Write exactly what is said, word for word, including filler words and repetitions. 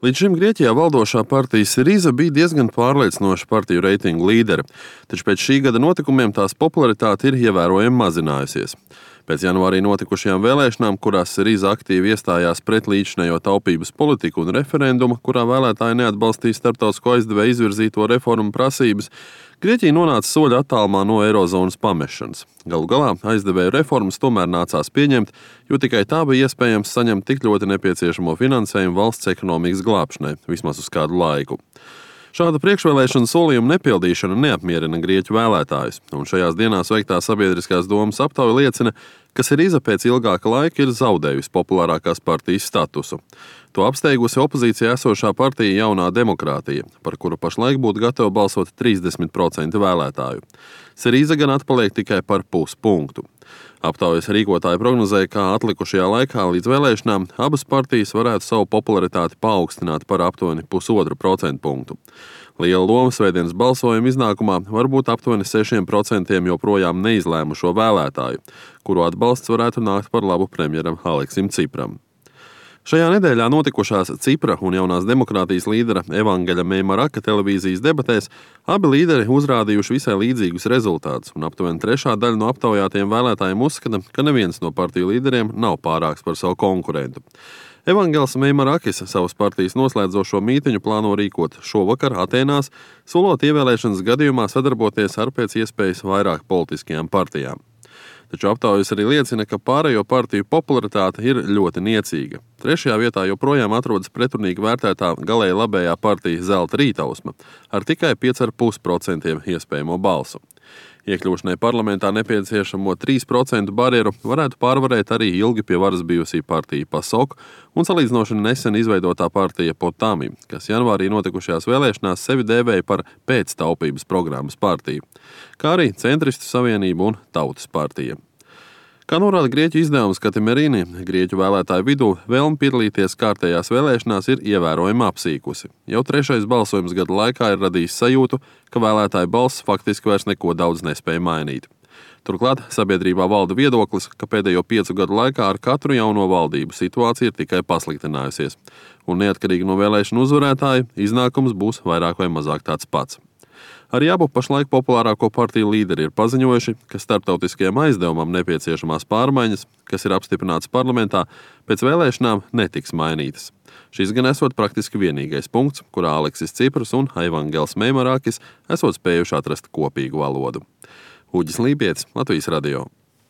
Līdz šim Grieķijā valdošā partija Siriza bija diezgan pārliecinoša partiju reitingu līdere, taču pēc šī gada notikumiem tās popularitāte ir ievērojami mazinājusies. Pēc janvārī notikušajām vēlēšanām, kurās Siriza aktīvi iestājās pret līdzinējo taupības politiku un referendumu, kurā vēlētāji neatbalstīja starptautisko aizdevēju izvirzīto reformu prasības, Grieķija nonāca soļa attālumā no eirozonas pamešanas. Galu galā aizdevēju reformas tomēr nācās pieņemt, jo tikai tā bija iespējams saņemt tik ļoti nepieciešamo finansējumu valsts ekonomikas glābšanai, vismaz uz kādu laiku. Šāda priekšvēlēšana solījuma nepildīšana neapmierina grieķu vēlētājus, un šajās dienās veiktā sabiedriskās domas aptauja liecina, ka Siriza pēc ilgāka laika ir zaudējusi populārākās partijas statusu. To apsteigusi opozīcijā esošā partija Jaunā demokrātija, par kuru pašlaik būtu gatava balsot trīsdesmit procenti vēlētāju. Siriza gan atpaliek tikai par puspunktu. Aptaujas rīkotāji prognozēja, ka atlikušajā laikā līdz vēlēšanām abas partijas varētu savu popularitāti paaugstināt par aptuveni pusotru procentu punktu. Liela loma svētdienas balsojuma iznākumā var būt aptuveni sešiem procentiem joprojām neizlēmušo vēlētāju, kuru atbalsts varētu nākt par labu premjeram Aleksim Cipram. Šajā nedēļā notikušās Cipra un Jaunās demokrātijas līdera Evangeļa Meimaraka televīzijas debatēs abi līderi uzrādījuši visai līdzīgus rezultātus, un aptuveni trešā daļa no aptaujātiem vēlētājiem uzskata, ka neviens no partiju līderiem nav pārāks par savu konkurentu. Evangeļs Meimarakis savas partijas noslēdzošo mītiņu plāno rīkot šovakar Atēnās, solot ievēlēšanas gadījumā sadarboties ar pēc iespējas vairāk politiskajām partijām. Taču aptaujas arī liecina, ka pārējo partiju popularitāte ir ļoti niecīga. Trešajā vietā joprojām atrodas pretrunīgi vērtētā galēji labējā partija Zelta rītausma ar tikai pieci komats pieci procenti iespējamo balsu. Iekļūšanai parlamentā nepieciešamo trīs procentu barjeru varētu pārvarēt arī ilgi pie varas bijusī partija PASOK un salīdzinoši nesen izveidotā partija Potami, kas janvārī notikušajās vēlēšanās sevi dēvēja par pēctaupības programmas partiju, kā arī Centristu savienību un Tautas partija. Kā norāda Grieķu izdevums Katimerīni, Grieķu vēlētāju vidū vēlme piedalīties kārtējās vēlēšanās ir ievērojami apsīkusi. Jau trešais balsojums gada laikā ir radījis sajūtu, ka vēlētāju balss faktiski vairs neko daudz nespēja mainīt. Turklāt sabiedrībā valda viedoklis, ka pēdējo piecu gadu laikā ar katru jauno valdību situācija ir tikai pasliktinājusies, un neatkarīgi no vēlēšanu uzvarētāja iznākums būs vairāk vai mazāk tāds pats. Arī abu pašlaik populārāko partiju līderi ir paziņojuši, ka starptautiskajam aizdevumam nepieciešamās pārmaiņas, kas ir apstiprināts parlamentā, pēc vēlēšanām netiks mainītas. Šis gan esot praktiski vienīgais punkts, kurā Aleksis Cipras un Evangeļs Meimarakis esot spējuši atrast kopīgu valodu. Uģis Lībietis, Latvijas radio.